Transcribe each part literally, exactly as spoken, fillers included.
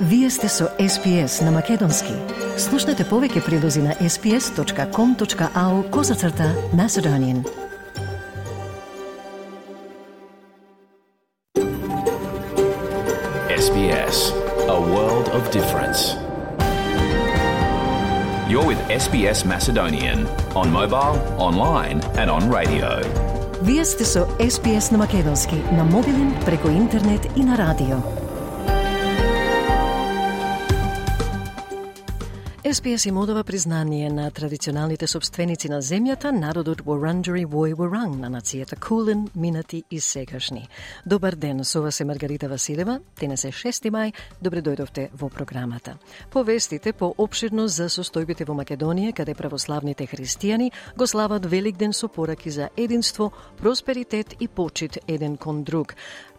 Вие сте со Ес Би Ес на Македонски. Слушнете повеќе прилози на ес би ес точка ком точка ау козацрта Macedonian. Ес Би Ес, a world of difference. You're with Ес Би Ес Macedonian on mobile, online and on radio. Вие сте со Ес Би Ес на Македонски, на мобилен, преку интернет и на радио. Ес Би Ес им одава признание на традиционалните собственици на земјата, народот Wurundjeri Woi Wurrung, на нацијата Кулин, минати и сегашни. Добар ден, со вас е Маргарита Василева, денес е шести мај, добре дојдовте во програмата. Повестите поопширно за состојбите во Македонија, каде православните христијани го слават Великден со пораки за единство, просперитет и почит еден кон друг.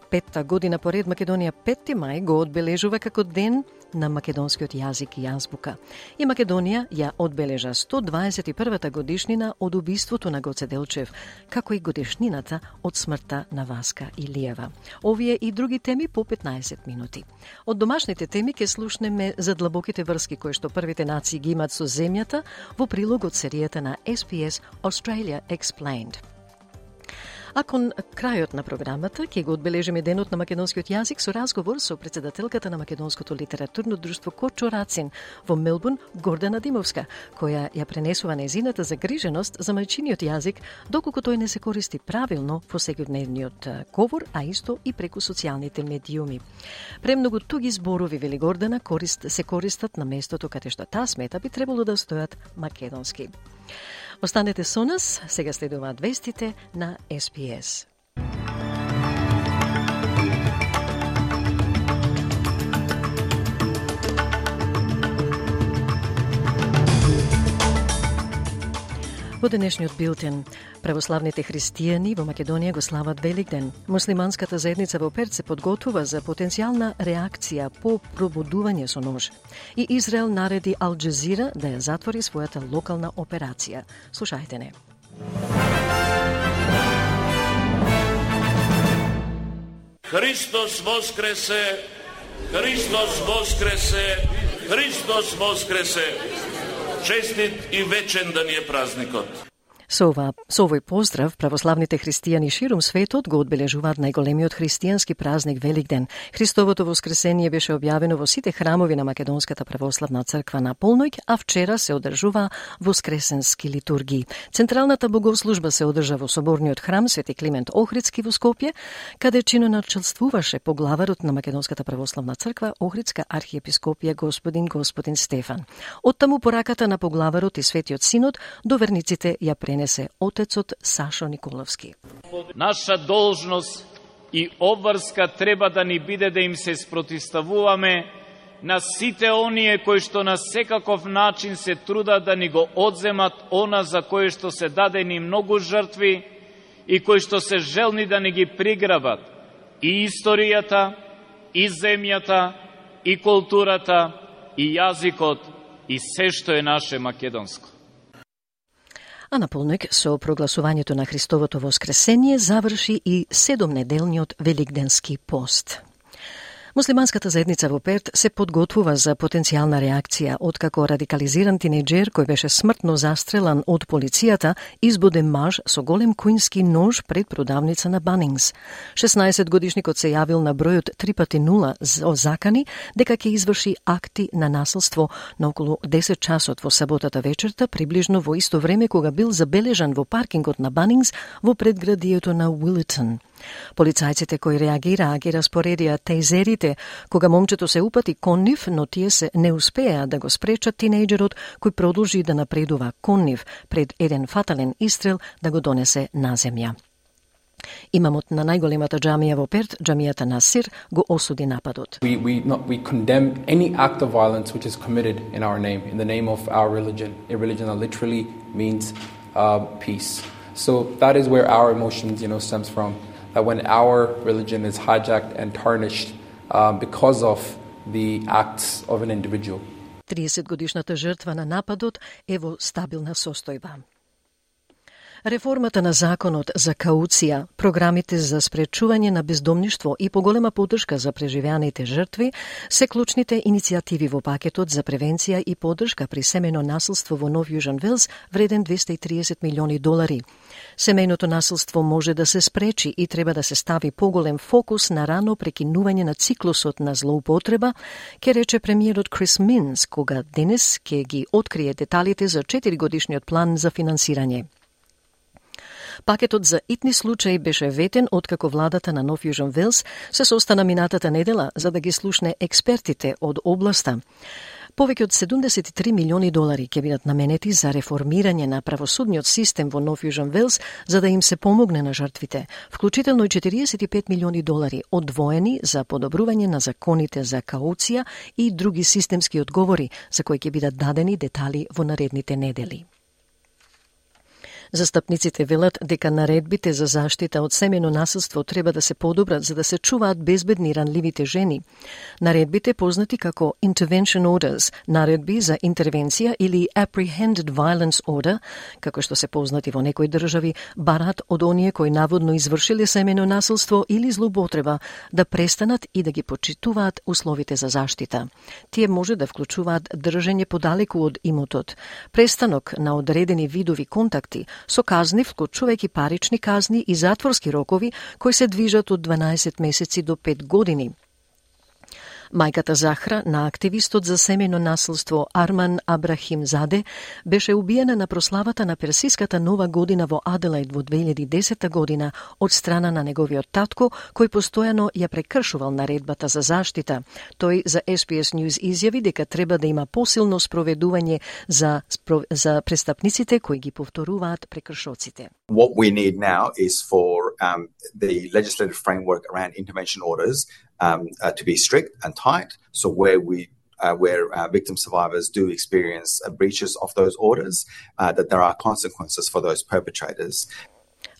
Петта година поред Македонија петти мај го одбележува како ден на македонскиот јазик и јазбука. И Македонија ја одбележа сто дваесет и првата годишнина од убиството на Гоце Делчев, како и годишнината од смртта на Васка Илиева. Овие и други теми по петнаесет минути. Од домашните теми ќе слушнеме за длабоките врски кои што првите нации ги имаат со земјата во прилог од серијата на Ес Би Ес Australia Explained. А кон крајот на програмата ќе го одбележиме денот на македонскиот јазик со разговор со председателката на Македонското литературно друштво Корчо Рацин во Мелбурн, Гордана Димовска, која ја пренесува нејзината загриженост за мајчиниот јазик, доколку тој не се користи правилно во секојдневниот говор, а исто и преку социјалните медиуми. Премногу туги зборови, вели Гордана, корист, се користат на местото каде што таа смета би требало да стојат македонски. Останете со нас, сега следуваат вестите на Ес Би Ес. Во денешниот билтен, православните христијани во Македонија го слават Великден. Муслиманската заедница во Перт се подготвува за потенцијална реакција по пробудување со нож. И Израел нареди Ал Джазира да ја затвори својата локална операција. Слушајте не. Христос воскресе! Христос воскресе! Христос воскресе! Честит и вечен да ни е празникот. Со, ова, со овој поздрав, православните христијани ширум светот го одбележуваат најголемиот христијански празник Великден. Христовото воскресение беше објавено во сите храмови на Македонската православна црква на полноќ, а вчера се одржува воскресенски литургии. Централната богослужба се одржа во соборниот храм Свети Климент Охридски во Скопје, каде чиноначелствуваше поглаварот на Македонската православна црква Охридска архиепископија господин Господин Стефан. Оттаму пораката на поглаварот и Светиот Синод до верниците ја пренесе отецот Сашо Николовски. Наша должност и обврска треба да ни биде да им се спротивставуваме на сите оние кои што на секаков начин се трудат да ни го одземат она за кое што се дадени многу жртви и кои што се желни да ни ги приграбат и историјата, и земјата, и културата, и јазикот, и се што е наше македонско. А на полноќ со прогласувањето на Христовото воскресение заврши и седомнеделниот Великденски пост. Муслиманската заедница во Перт се подготвува за потенцијална реакција откако радикализиран тинејџер кој беше смртно застрелан од полицијата избуде маж со голем куински нож пред продавница на Банингс. шеснаесет годишникот се јавил на бројот три пати нула о закани дека ќе изврши акти на насилство на околу десет часот во саботата вечерта, приближно во исто време кога бил забележан во паркингот на Банингс во предградието на Уилитон. Полицајците кои реагираа ги распоредија тейзерите кога момчето се упати кон нив, но тие се не успеа да го спречат тинејџерот кој продолжи да напредува кон нив пред еден фатален истрел да го донесе на земја. Имамот на најголемата џамија во Перт, џамијата Насир, го осуди нападот. We, we, not, we condemn any act of violence which is committed in our name, in the name of our religion, a religion that literally means uh, peace. So that is where our emotions, you know, stems from. That when our religion is hijacked and tarnished um, because of the acts of an individual. тридесет годишната жртва на нападот е во стабилна состојба. Реформата на законот за кауција, програмите за спречување на бездомништво и поголема поддршка за преживеаните жртви се клучните иницијативи во пакетот за превенција и поддршка при семејно насилство во Нов Јужен Велс, вреден двесте и триесет милиони долари. Семејното насилство може да се спречи и треба да се стави поголем фокус на рано прекинување на циклусот на злоупотреба, ке рече премиерот Крис Минс, кога денес ќе ги открие деталите за четиригодишниот план за финансирање. Пакетот за итни случаи беше ветен откако владата на Нов Јужен Велс се состана минатата недела за да ги слушне експертите од областа. Повеќе од седумдесет и три милиони долари ќе бидат наменети за реформирање на правосудниот систем во Нов Јужен Велс за да им се помогне на жртвите, вклучително и четириесет и пет милиони долари одвоени за подобрување на законите за кауција и други системски одговори за кои ќе бидат дадени детали во наредните недели. Застапниците велат дека наредбите за заштита од семејно насилство треба да се подобрат за да се чуваат безбедни ранливите жени. Наредбите познати како intervention orders, наредби за интервенција или apprehended violence order, како што се познати во некои држави, барат од оние кои наводно извршиле семејно насилство или злоупотреба да престанат и да ги почитуваат условите за заштита. Тие може да вклучуваат држење подалеку од имотот, престанок на одредени видови контакти, со казни вклучувајќи парични казни и затворски рокови кои се движат од дванаесет месеци до пет години. Мајката Захра на активистот за семејно насилство Арман Абрахимзаде беше убиена на прославата на персиската нова година во Аделаид во две илјади и десета година од страна на неговиот татко, кој постојано ја прекршувал наредбата за заштита. Тој за Ес Би Ес News изјави дека треба да има посилно спроведување за, за престапниците кои ги повторуваат прекршоците. What we need now is for um, the legislative framework around intervention orders Um, uh, to be strict and tight, so where we, uh, where uh, victim survivors do experience uh, breaches of those orders, uh, that there are consequences for those perpetrators.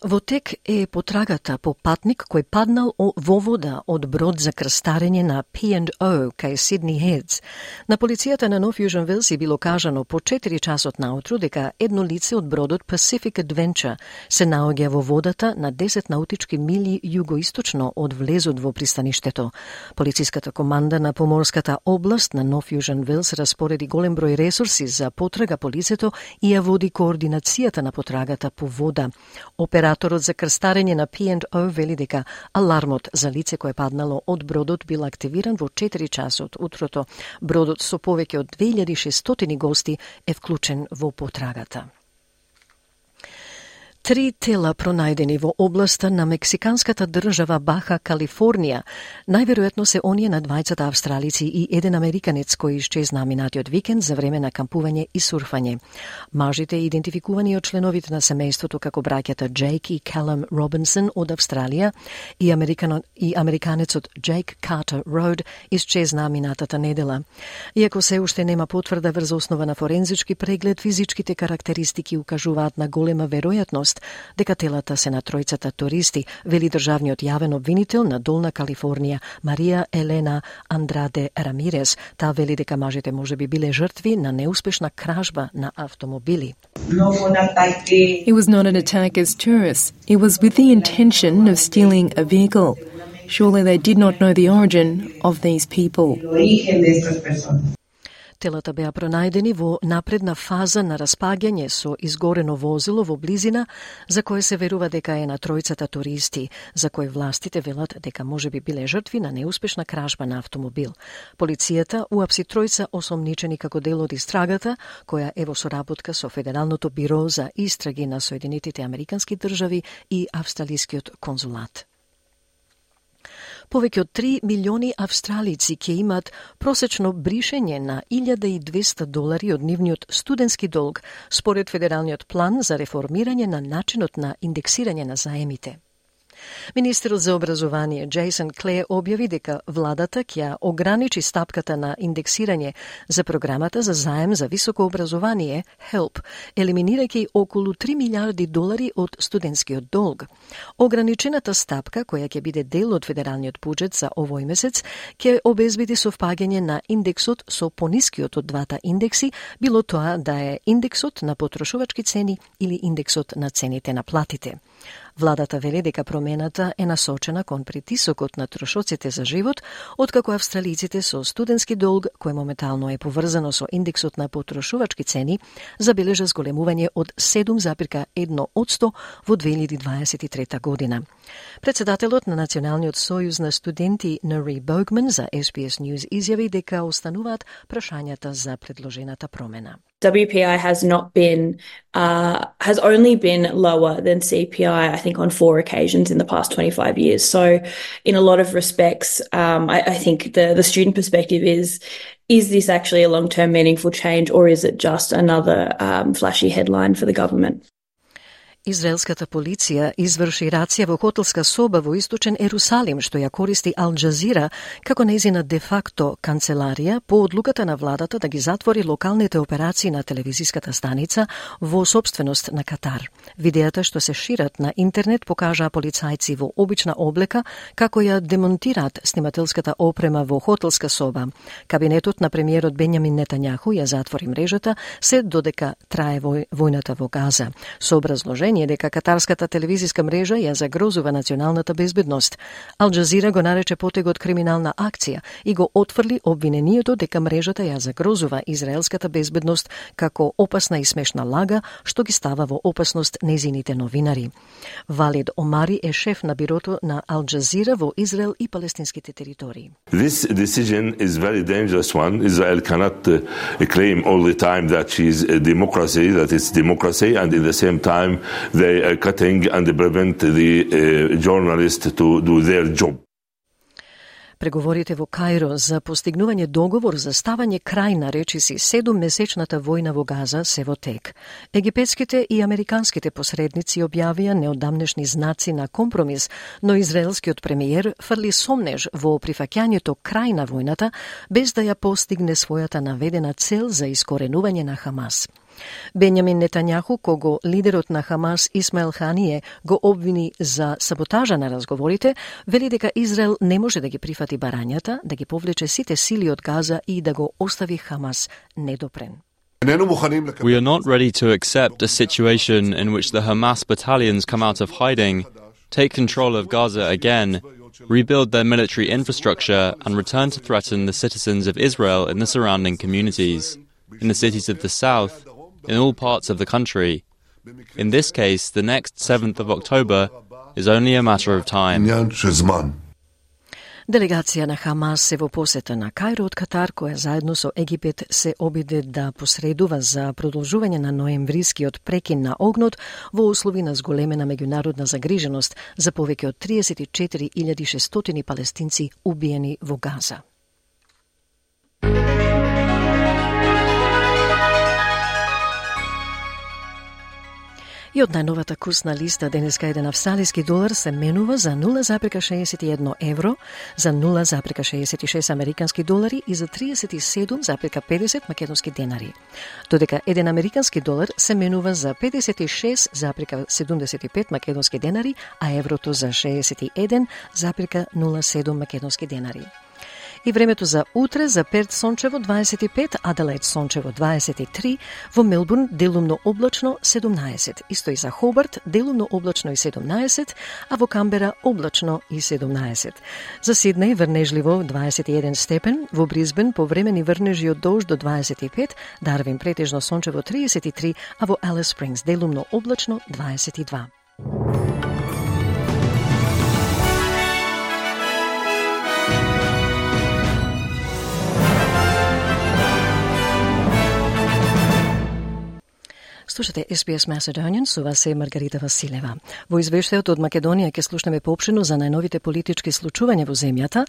Во тек е потрагата по патник кој паднал во вода од брод за крстарење на Пи енд О кај Сидни Хедс. На полицијата на Нов Јужен Велс било кажано по четири часот наутро дека едно лице од бродот Pacific Adventure се наоѓа во водата на десет наутички мили југоисточно од влезот во пристаништето. Полициската команда на поморската област на Нов Јужен Велс распореди голем број ресурси за потрага по лицето и ја води координацијата на потрагата по вода. Операторот за крстарење на Пи енд О вели дека алармот за лице кое паднало од бродот бил активиран во четири часот утрото. Бродот со повеќе од две илјади и шестстотини гости е вклучен во потрагата. Три тела пронајдени во областа на мексиканската држава Баха Калифорнија, најверојатно се оние на двајцата австралици и еден американец кој исчезна минатиот викенд за време на кампување и сурфање. Мажите идентификувани од членовите на семејството како браќата Джейк и Калам Робинсон од Австралија и, американо, и американецот Джейк Картер Роуд исчезна минатата недела. Иако се уште нема потврда врз основа на форензички преглед, физичките карактеристики укажуваат на голема веројатност дека телата се на тројцата туристи, вели државниот јавен обвинител на Долна Калифорнија Марија Елена Андраде Рамирес. Таа вели дека мажите можеби биле жртви на неуспешна кражба на автомобили. It was not an attack as tourists. It was with the intention of stealing a vehicle. Surely they did not know the origin of these people. Телата беа пронајдени во напредна фаза на распаѓање со изгорено возило во близина, за кое се верува дека е на тројцата туристи, за кои властите велат дека можеби биле жртви на неуспешна кражба на автомобил. Полицијата уапси тројца осомничени како дел од истрагата, која е во соработка со Федералното биро за истраги на Соединетите Американски држави и Австралискиот конзулат. Повеќе од три милиони австралици ќе имат просечно бришење на илјада и двесте долари од нивниот студентски долг, според Федералниот план за реформирање на начинот на индексирање на заемите. Министерот за образование Джейсон Клеј објави дека владата ќе ограничи стапката на индексирање за програмата за заем за високо образование хелп, елиминирајќи околу три милиарди долари од студентскиот долг. Ограничената стапка, која ќе биде дел од федералниот буџет за овој месец, ќе обезбеди совпаѓање на индексот со понискиот од двата индекси, било тоа да е индексот на потрошувачки цени или индексот на цените на платите. Владата вели дека промената е насочена кон притисокот на трошоците за живот, откако австралиците со студентски долг, кој моментално е поврзано со индексот на потрошувачки цени, забележа зголемување од седум зарез едно одсто во две илјади дваесет и трета година. Председателот на Националниот сојуз на студенти Нори Богман за Ес Би Ес News изјави дека остануваат прашањата за предложената промена. W P I has not been, uh, has only been lower than C P I, I think, on four occasions in the past twenty-five years. So in a lot of respects, um, I, I think the, the student perspective is, is this actually a long-term meaningful change, or is it just another um, flashy headline for the government? Израелската полиција изврши рација во хотелска соба во источен Ерусалим, што ја користи Ал Џазира како нејзина де-факто канцеларија по одлуката на владата да ги затвори локалните операции на телевизиската станица во сопственост на Катар. Видеата што се шират на интернет покажаа полицајци во обична облека како ја демонтираат снимателската опрема во хотелска соба. Кабинетот на премиерот Бенјамин Нетањаху ја затвори мрежата се додека трае војната во Газа, со образложение дека катарската телевизиска мрежа ја загрозува националната безбедност. Ал Џазира го нарече потегот криминална акција и го отфрли обвинението дека мрежата ја загрозува израелската безбедност како опасна и смешна лага што ги става во опасност незините новинари. Валид Омари е шеф на бирото на Ал Џазира во Израел и палестинските територии. This decision is very dangerous one. Israel cannot uh, claim all the time that she is a democracy, that it's democracy, and at the same time they are cutting and prevent the uh, journalists to do their job. Преговорите во Кајро за постигнување договор за ставање крај на речиси седуммесечната војна во Газа се во тек. Египетските и американските посредници објавија неодамнешни знаци на компромис, но израелскиот премиер фрли сомнеж во прифаќањето крај на војната без да ја постигне својата наведена цел за искоренување на Хамас. Бенјамин Нетањаху, кого лидерот на Хамас Исмаел Хание го обвини за саботажа на разговорите, вели дека Израел не може да ги прифати барањата, да ги повлече сите сили од Газа и да го остави Хамас недопрен. We are not ready to accept a situation in which the Hamas battalions come out of hiding, take control of Gaza again, rebuild their military infrastructure and return to threaten the citizens of Israel in the surrounding communities, in the cities of the south, in all parts of the country. In this case, the next seventh of October is only a matter of time. Делегација на Хамас се во посета на Кајро од Катар, која заедно со Египет се обиде да посредува за продолжување на ноемврискиот прекин на огнот во услови на зголемена меѓународна загриженост за повеќе од триесет и четири илјади и шестстотини палестинци убиени во Газа. И од најновата курсна листа денеска еден австралиски долар се менува за нула зарез шеесет и едно евро, за нула зарез шеесет и шест американски долари и за триесет и седум зарез педесет македонски денари. Додека еден американски долар се менува за педесет и шест зарез седумдесет и пет македонски денари, а еврото за шеесет и еден зарез нула седум македонски денари. И времето за утре: за Перт сончево дваесет и пет, Аделаид сончево дваесет и три, во Мелбурн делумно облачно седумнаесет, исто и за Хобарт делумно облачно и седумнаесет, а во Камбера облачно и седумнаесет. За Сиднеј врнежливо дваесет и еден степен, во Брисбен повремени врнежи од дожд до дваесет и пет, Дарвин претежно сончево триесет и три, а во Алис Спрингс делумно облачно дваесет и два. Слушате Ес Би Ес Macedonian, со вас е Маргарита Василева. Во извештајот од Македонија ќе слушнеме поопшено за најновите политички случувања во земјата,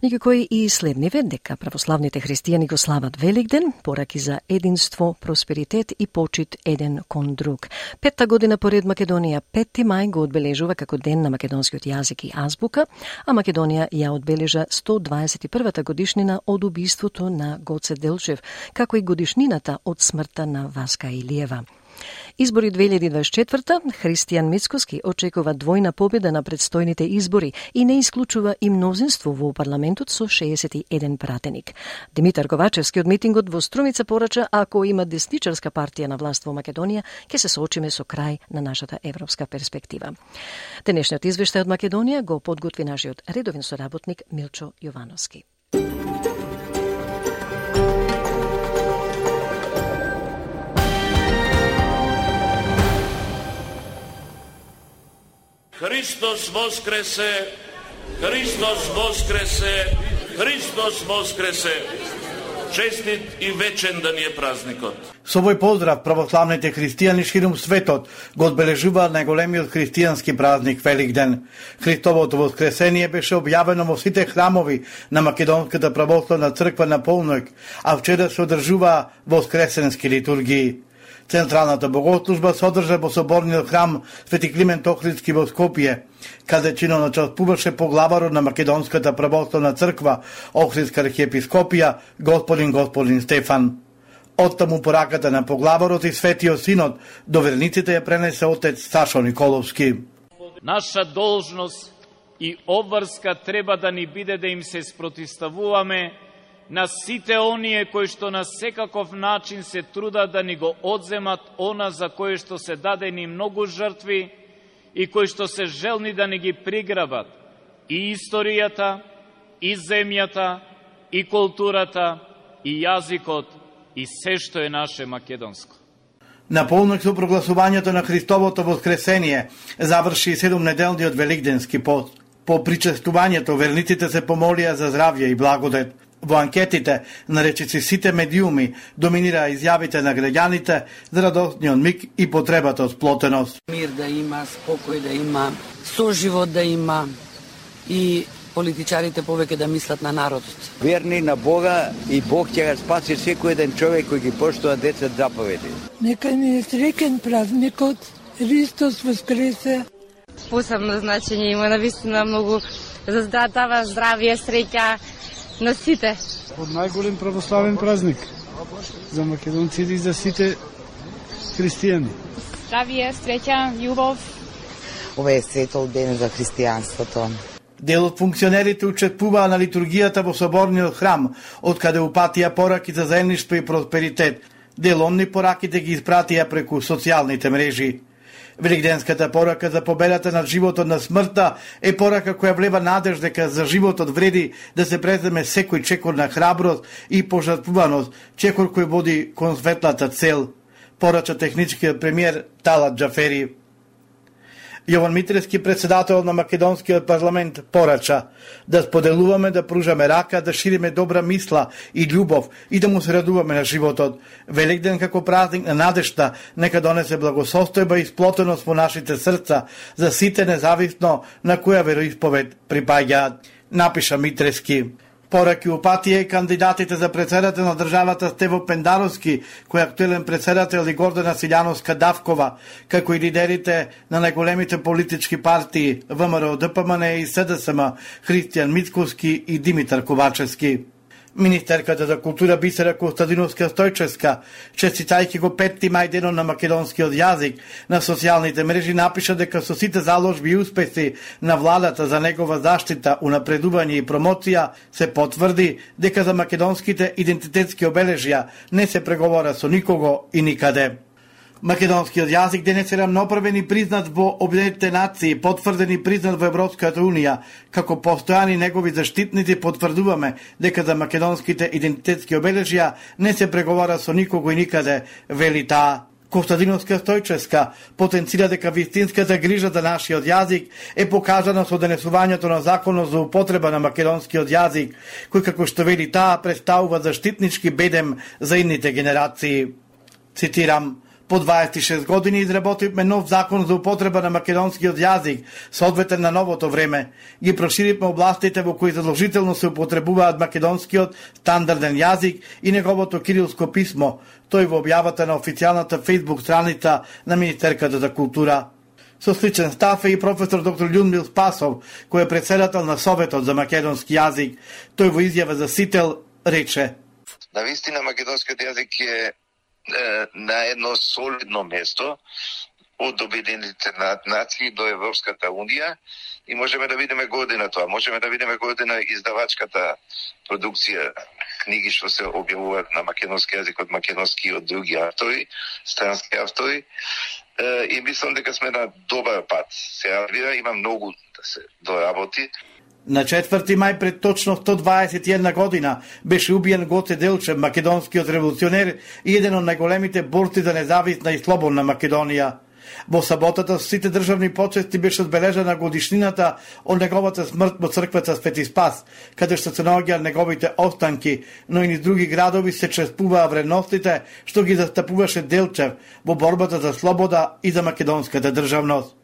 меѓу кои и следниве дека православните христијани го слават Великден, пораки за единство, просперитет и почит еден кон друг. Петта година поред Македонија петти мај го одбележува како ден на македонскиот јазик и азбука, а Македонија ја одбележа сто дваесет и првата годишнина од убиството на Гоце Делчев, како и годишнината од смртта на Васка Илиева. Избори две илјади дваесет и четврта, Христијан Мицкоски очекува двојна победа на предстојните избори и не исклучува и мнозинство во парламентот со шеесет и еден пратеник. Димитар Ковачевски од митингот во Струмица порача, ако има десничарска партија на власт во Македонија, ќе се соочиме со крај на нашата европска перспектива. Денешниот извештај од Македонија го подготви нашиот редовен соработник Милчо Јовановски. Христос воскресе, Христос воскресе, Христос воскресе. Честит и вечен да ни е празникот. Со овој поздрав православните христијани ширум светот го одбележуваат најголемиот христијански празник Великден. Христовото воскресение беше објавено во сите храмови на Македонската православна црква на полноќ, а вчера се одржува воскресенски литургии. Централната богослужба се одржа во соборниот храм Свети Климент Охридски во Скопје, каде чинно начествуваше поглаварот на Македонската православна црква Охридска архиепископија господин господин Стефан. Оттаму пораката на поглаварот и Светиот Синод до верниците ја пренесе отец Сашо Николовски. Наша должност и обврска треба да ни биде да им се спротивставуваме на сите оние кои што на секаков начин се трудат да ни го одземат она за кое што се дадени многу жртви и кои што се желни да ни ги приграбат и историјата, и земјата, и културата, и јазикот, и се што е наше македонско. На полноќ со прогласувањето на Христовото воскресение заврши седумнеделниот великденски пост. По причестувањето верниците се помолија за здравје и благодет. Во анкетите на речиси сите медиуми доминира изјавите на граѓаните за радосниот миг и потребата од сплотеност. Мир да има, спокој да има, соживот да има и политичарите повеќе да мислат на народот. Верни на Бога и Бог ќе го спаси секој еден човек кој ги поштува десет заповеди. Нека ни е среќен празникот, Христос воскресе. Посебно значење има навистина многу за здравје, здравје, среќа на сите. Од најголем православен празник за македонците и за сите христијани. Здравје, среќа, љубов. Ова е светол ден за христијанството. Дел од функционерите учествуваа на литургијата во соборниот храм, од каде упатија пораки за заедништво и просперитет. Деломни пораките ги испратија преку социјалните мрежи. Великденската порака за победата над животот на смртта е порака која влева надеж дека за животот вреди да се преземе секој чекор на храброст и пожртвуваност, чекор кој води кон светлата цел, порача техничкиот премиер Талат Џафери. Јован Митрески, председател на Македонскиот парламент, порача да споделуваме, да пружаме рака, да шириме добра мисла и љубов и да му се радуваме на животот. Великден како празник на надежта нека донесе благосостојба и сплотеност во нашите срца за сите независно на која вероисповед припаѓаат, напиша Митрески. Пораки упатија и кандидатите за председател на државата Стево Пендаровски, кој е актуелен председател, и Гордана Силјановска Давкова, како и лидерите на најголемите политички партии ВМРО, ДПМН и СДСМ, Христијан Мицкоски и Димитар Ковачевски. Министерката за култура Бисера Костадиновска Стојчевска, честитајќи го петти мај денот на македонскиот јазик, на социјалните мрежи напиша дека со сите заложби и успеси на владата за негова заштита, унапредување и промоција се потврди дека за македонските идентитетски обележја не се преговора со никого и никаде. Македонскиот јазик денес е рамноправен и признат во Обединетите нации, потврден и признат во Европската унија. Како постојани негови заштитници потврдуваме дека за македонските идентитетски обележја не се преговара со никого и никаде, вели таа. Костадиновска Стојчевска потенцира дека вистинската грижа за нашиот јазик е покажана со донесувањето на законот за употреба на македонскиот јазик, кој, како што вели таа, представува заштитнички бедем за идните генерации. Цитирам: По дваесет и шест години изработивме нов закон за употреба на македонскиот јазик, соодветен на новото време. Ги проширивме областите во кои задолжително се употребуваат македонскиот стандарден јазик и неговото кирилско писмо, тој во објавата на официјалната фејсбук страница на Министерката за култура. Со сличен став е и професор доктор Људмил Спасов, кој е председател на Советот за македонски јазик. Тој во изјава за Сител рече: Навистина македонскиот јазик е на едно солидно место од Обединените нации до Европската унија и можеме да видиме година тоа. Можеме да видиме година издавачката продукција, книги што се објавуваат на македонски јазик од македонски и од други автори, странски автори. И мислам дека сме на добар пат. Сега има многу да се доработи. На четврти мај пред точно сто дваесет и една година беше убиен Гоце Делчев, македонскиот револуционер и еден од најголемите борци за независна и слободна Македонија. Во саботата со сите државни почести беше одбележана годишнината од неговата смрт во црквата Свети Спас, каде што се наоѓаат неговите останки, но и низ други градови се чествуваа вредностите што ги застапуваше Делчев во борбата за слобода и за македонската државност.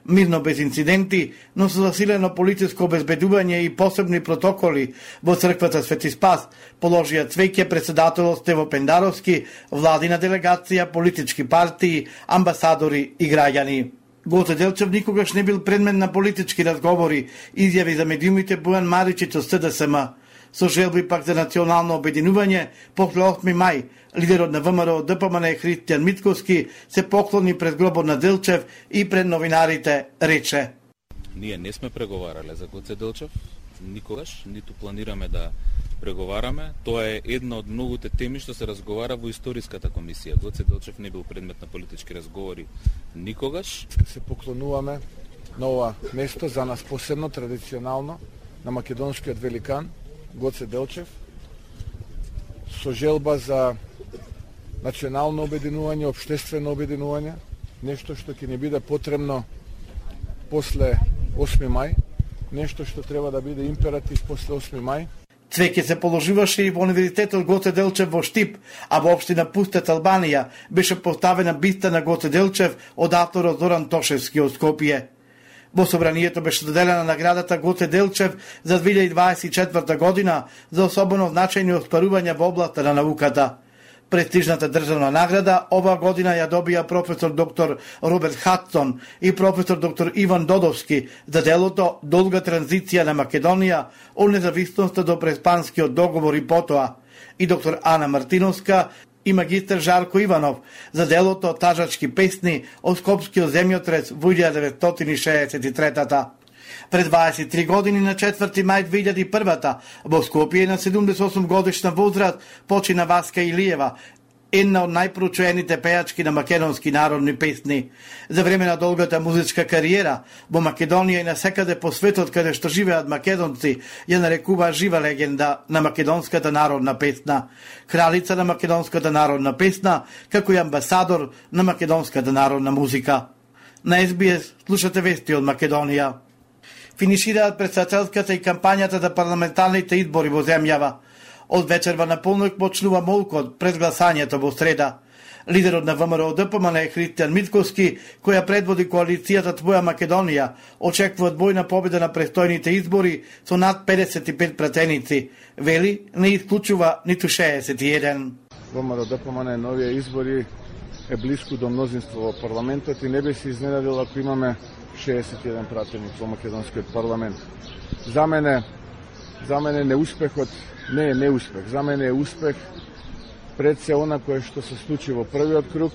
Мирно без инциденти, но со засилено полициско обезбедување и посебни протоколи во црквата Свети Спас положија цвеќе председателот Стево Пендаровски, владина делегација, политички партии, амбасадори и граѓани. Гоце Делчев никогаш не бил предмет на политички разговори, изјави за медиумите Бојан Маричич од С Д С М. Со желби пак за национално обединување, после осми мај, лидерот на В М R O Д П М Н Христијан Митковски се поклони пред гробот на Делчев и пред новинарите рече: Ние не сме преговарале за Гоце Делчев, никогаш, ниту планираме да преговараме. Тоа е една од многуте теми што се разговара во историската комисија. Гоце Делчев не бил предмет на политички разговори никогаш. Се поклонуваме на ова место, за нас посебно, традиционално, на македонскиот великан Гоце Делчев, со желба за национално обединување, општествено обединување, нешто што ќе ни биде потребно после осми мај, нешто што треба да биде императив после осми мај. Цвеќе се положуваше и во Универзитетот Гоце Делчев во Штип, а во општина Пустец, Албанија, беше поставена биста на Гоце Делчев од авторот Зоран Тошевски од Скопје. Во собранието беше доделена наградата Гоце Делчев за две илјади дваесет и четврта година за особено значајни оспарувања во областа на науката. Престижната државна награда оваа година ја добија професор доктор Роберт Хадсон и професор доктор Иван Додовски за делото Долга транзиција на Македонија од независноста до преспанскиот договор и потоа, и доктор Ана Мартиновска и магистар Жарко Иванов за делото Тажачки песни од Скопскиот земјотрес во илјада деветстотини шеесет и трета. Пред дваесет и три години на четврти мај две илјади и прва во Скопје на седумдесет и осум годишна возраст почина Васка Илиева, една од најпрочуените пејачки на македонски народни песни. За време на долгата музичка кариера во Македонија и насекаде по светот каде што живеат македонци, ја нарекува жива легенда на македонската народна песна, кралица на македонската народна песна, како и амбасадор на македонската народна музика. На С Б С слушате вести од Македонија. Финишираат председателската и кампањата за парламентарните избори во земјава. Од вечерва на полнок почнува молкот пред гласањето во среда. Лидерот на В М R O Д П М Н Христијан Митковски, која предводи коалицијата Твоја Македонија, очекува двојна победа на престојните избори со над педесет и пет пратеници. Вели, не исклучува ниту шеесет и еден. В М R O Д П М Н новија избори е блиску до мнозинство во парламентот и не би се изненадил ако имаме шеесет и еден пратеник во македонскиот парламент. За мене, за мене неуспехот не е неуспех. За мене е успех пред се она кое што се случи во првиот круг.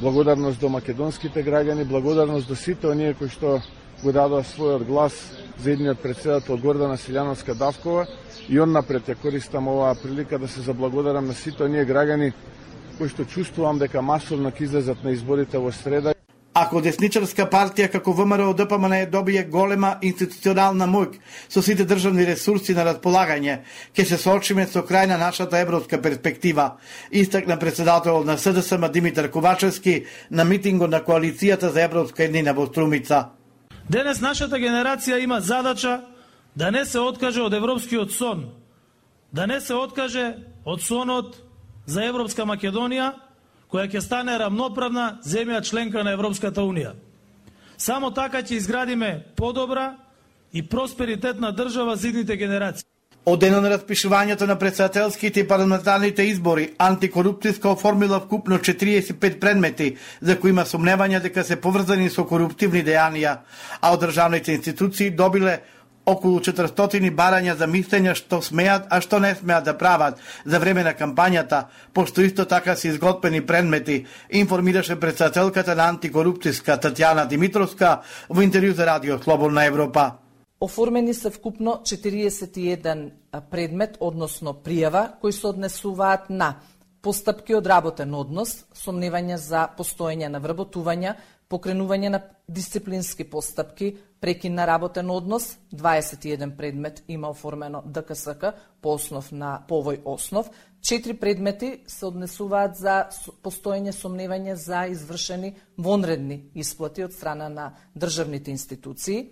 Благодарност до македонските граѓани, благодарност до сите оние кои што го дадоа својот глас за едниот председател Гордана Силјановска Давкова и оннапред ја користам оваа прилика да се заблагодарам на сите оние граѓани кои што чувствувам дека масовно ќе излезат на изборите во среда. Ако десничарска партија како В М R O Д П М Н добие голема институционална моќ со сите државни ресурси на располагање, ќе се соочиме со крај на нашата европска перспектива, истакна председателот на С Д С М Димитар Ковачевски на митингот на коалицијата за европска еднина во Струмица. Денес нашата генерација има задача да не се откаже од европскиот сон, да не се откаже од сонот за европска Македонија, која ќе стане рамноправна земја членка на Европската Унија. Само така ќе изградиме подобра и просперитетна држава за идните генерации. Од дено на распишувањето на претседателските и парламентарните избори, антикорупцијска оформила вкупно четириесет и пет предмети за кои има сомневања дека се поврзани со коруптивни дејанија, а од државните институции добиле околу четиристотини барања за мислења што смеат, а што не смеат да прават за време на кампањата, пошто исто така се изготвени предмети, информираше претседателката на антикорупцијска Татјана Димитровска во интервју за Радио Слободна Европа. Оформени се вкупно четириесет и еден предмет, односно пријава, кои се однесуваат на постапки од работен однос, сомневања за постоење на вработувања, покренување на дисциплински постапки, прекин на работен однос, дваесет и еден предмет има оформено ДКСК по основ на по овој основ, четири предмети се однесуваат за постоење сомневање за извршени вонредни исплати од страна на државните институции.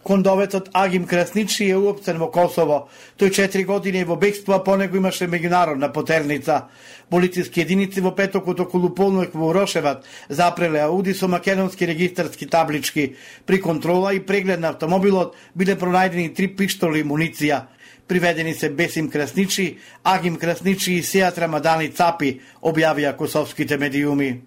Кондовецот Агим Красничи е уопцен во Косово. Тој четири години е во бегство, а по него имаше меѓународна потерница. Полициски единици во петокот околу полнок во Урошеват запреле ауди со македонски регистарски таблички. При контрола и преглед на автомобилот биле пронајдени три пиштоли и муниција. Приведени се Бесим Красничи, Агим Красничи и Сеат Рамадани Цапи, објавија косовските медиуми.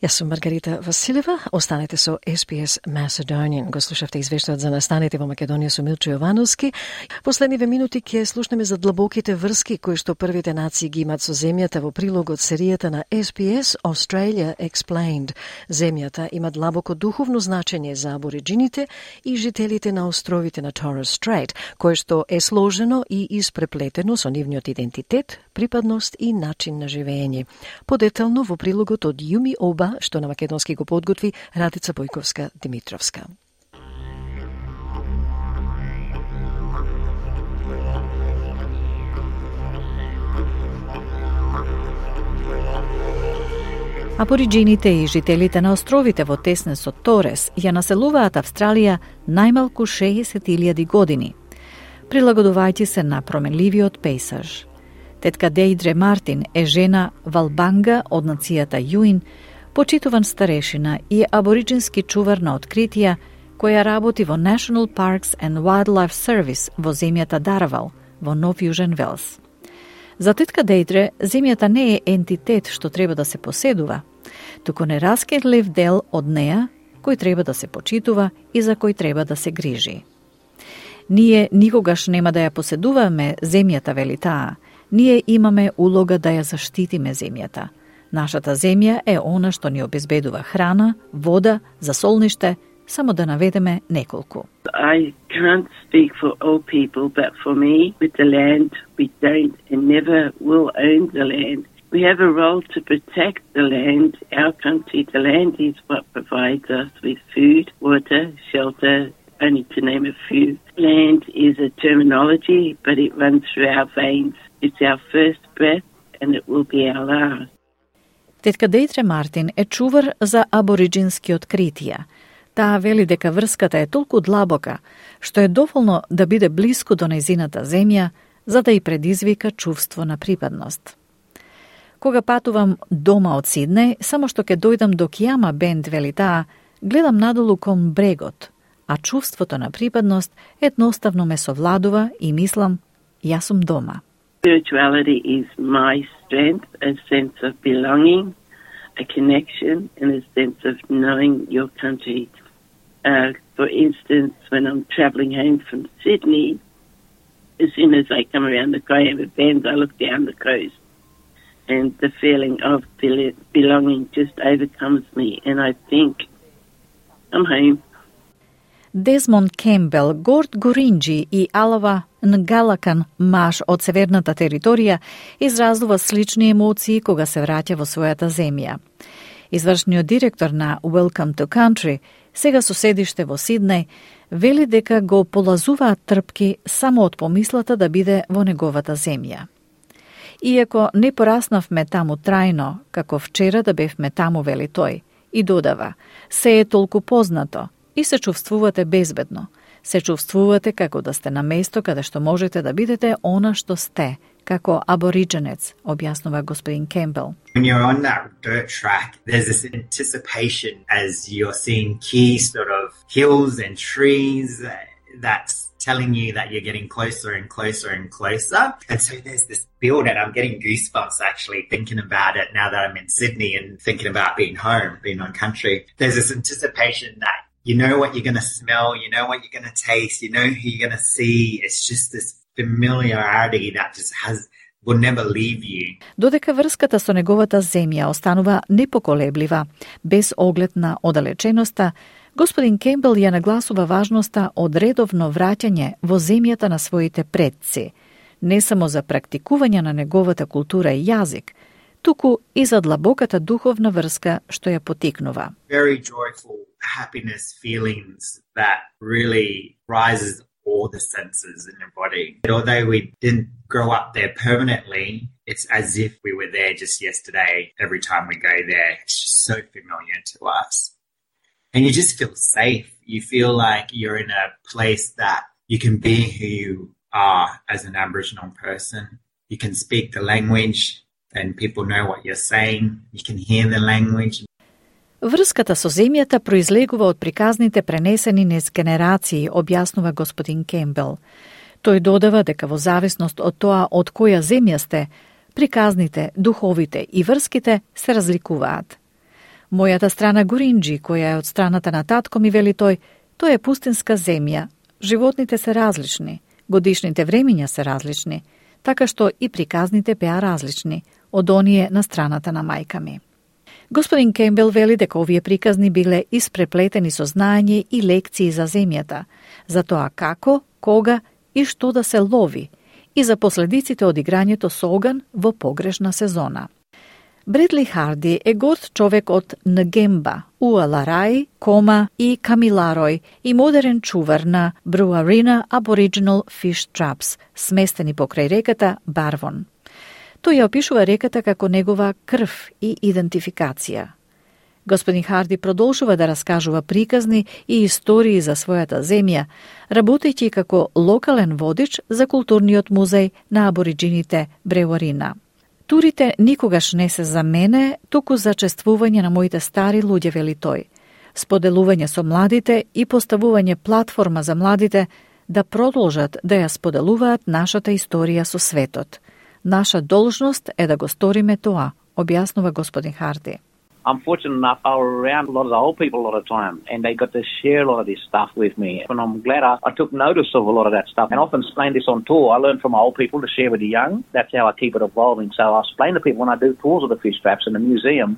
Јас сум Маргарита Василева. Останете со Ес Би Ес Macedonian. Го слушавте извештајот за настаните во Македонија со Милчо Јовановски. Последниве минути ќе слушнеме за длабоките врски кои што првите нации ги имат со земјата во прилог од серијата на Ес Би Ес Australia Explained. Земјата има длабоко духовно значење за абориджините и жителите на островите на Torres Strait, кое што е сложено и испреплетено со нивниот идентитет, припадност и начин на живење. Подетално во прилогот од Јуми Оба, што на македонски го подготви Радица Бојковска-Димитровска. Абориджините и жителите на островите во теснесот Торес ја населуваат Австралија најмалку шеесет илјади години, прилагодувајќи се на променливиот пейсаж. Тетка Дејдре Мартин е жена Валбанга од нацијата Јуин, почитуван старешина и абориджински чувар на откритија, која работи во National Parks and Wildlife Service во земјата Даравал, во Нов Јужен Велс. За тетка Дејдре, земјата не е ентитет што треба да се поседува, туку нераскинлив дел од неа, кој треба да се почитува и за кој треба да се грижи. Ние никогаш нема да ја поседуваме земјата, вели таа. Ние имаме улога да ја заштитиме земјата. Нашата земја е она што ни обезбедува храна, вода, засолниште, само да наведеме неколку. I can't speak for all people, but for me, with the land, we don't and never will own the land. We have a role to protect the land, our country. The land is what provides us with food, water, shelter, only to name a few. Land is a terminology, but it runs through our veins. It's our first breath and it will be our last. Тетка Дејдре Мартин е чувар за абориджински откритија. Таа вели дека врската е толку длабока, што е доволно да биде блиску до нејзината земја, за да ја предизвика чувство на припадност. Кога патувам дома од Сиднеј, само што ќе дојдам до Киама Бенд, вели таа, гледам надолу кон брегот, а чувството на припадност едноставно ме совладува и мислам, јас сум дома. Spirituality is my strength, a sense of belonging, a connection, and a sense of knowing your country. Uh, for instance, when I'm travelling home from Sydney, as soon as I come around the Coyama Bend, I look down the coast, and the feeling of belonging just overcomes me, and I think, I'm home. Дезмонд Кембел, Горд Горинджи и Алава Нгалакан, маж од северната територија, изразува слични емоции кога се враќа во својата земја. Извршниот директор на Welcome to Country, сега со седиште во Сиднеј, вели дека го полазуваат трпки само од помислата да биде во неговата земја. Иако не пораснавме таму трајно, како вчера да бевме таму, вели тој, и додава, се е толку познато, и се чувствувате безбедно. Се чувствувате како да сте на место каде што можете да бидете она што сте, како аборидженец, објаснува господин Кембел. When you're on that dirt track, there's this anticipation as you're seeing key sort of hills and trees that's telling you that you're getting closer and closer and closer. And so there's this build, and I'm getting goosebumps actually thinking about it now that I'm in Sydney and thinking about being home, being on country. There's this anticipation that you know what you're going to smell, you know what you're going to taste, you know who you're going to see. It's just this familiarity that just has will never leave you. Додека врската со неговата земја останува непоколеблива, без оглед на оддалеченоста, господин Кембел ја нагласува важноста од редовно враќање во земјата на своите предци, не само за практикување на неговата култура и јазик, туку и за длабоката духовна врска што ја потикнува. Very joyful happiness feelings that really rises all the senses in your body. Although we didn't grow up there permanently, it's as if we were there just yesterday. Every time we go there, it's just so familiar to us. And you just feel safe. You feel like you're in a place that you can be who you are as an Aboriginal person. You can speak the language and people know what you're saying. You can hear the language. Врската со земјата произлегува од приказните пренесени низ генерации, објаснува господин Кембел. Тој додава дека во зависност од тоа од која земја сте, приказните, духовите и врските се разликуваат. Мојата страна Гуринџи, која е од страната на татко ми, вели тој, тој е пустинска земја. Животните се различни, годишните времиња се различни, така што и приказните беа различни од оние на страната на мајка ми. Господин Кембел вели дека овие приказни биле испреплетени со знаење и лекции за земјата, за тоа како, кога и што да се лови, и за последиците од играњето со оган во погрешна сезона. Бредли Харди е горд човек од Нгемба, Уаларај, Кома и Камиларој и модерен чувар на Бруарина Aboriginal Fish Traps, сместени покрај реката Барвон. Тој ја опишува реката како негова крв и идентификација. Господин Харди продолжува да раскажува приказни и истории за својата земја, работејќи како локален водич за културниот музеј на абориджините Бреуарина. Турите никогаш не се за мене, туку за чествување на моите стари луѓе, вели тој, споделување со младите и поставување платформа за младите да продолжат да ја споделуваат нашата историја со светот. Наша должност е да го сториме тоа, објаснува господин Харди. I'm fortunate enough, I was around a lot of the old people a lot of time, and they got to share a lot of this stuff with me. And I'm glad I, I took notice of a lot of that stuff. And I often explain this on tour. I learn from old people to share with the young. That's how I keep it evolving. So I explain to people when I do tours of the fish traps in the museum